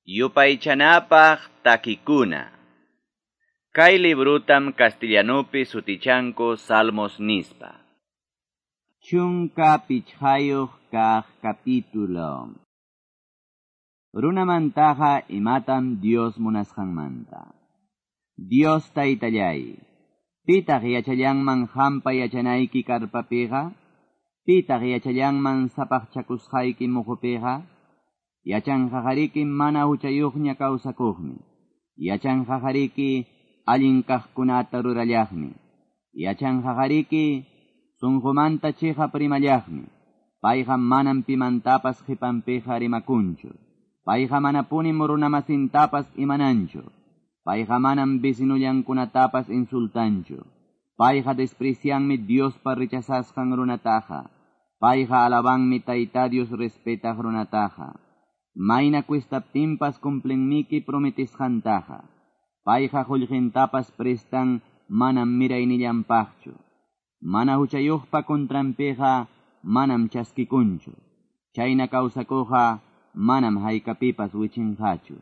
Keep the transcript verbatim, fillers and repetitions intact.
Yupaychanapaq takikuna. Kay librutam castellanupi sutichanku Salmos nispa. Chunka pichqayuq kaq capítulo. Runamantaqa imatam Dios munasqanmanta. Dios taytallay, pitaq yachallanman hampa yachanayki karpapiqa, pitaq yachallanman sapaqchakusqayki muhupiqa, yachanqaqariki mana huchayuqña kawsakuqmi, yachanqaqariki allin kaqkunata rurallaqmi, yachanqaqariki sunqumanta chiqap rimallaqmi, payqa manam pimantapas qipanpiqa rimakunchu, payqa manapunim runamasintapas imananchu, payqa manam vecinullankunatapas insultanchu, payqa desprecianmi Diospa rechazasqan runataqa, payqa alabanmi Tayta Dios respetaq runataqa. Mayna cuestaptinpas cumplenmiki prometisqantaqa, payqa qullqintapas prestan manam miraynillanpaqchu, mana huchayuqpa contranpiqa manam chaskikunchu, chayna kawsakuqqa manam haykapipas wichinqachu.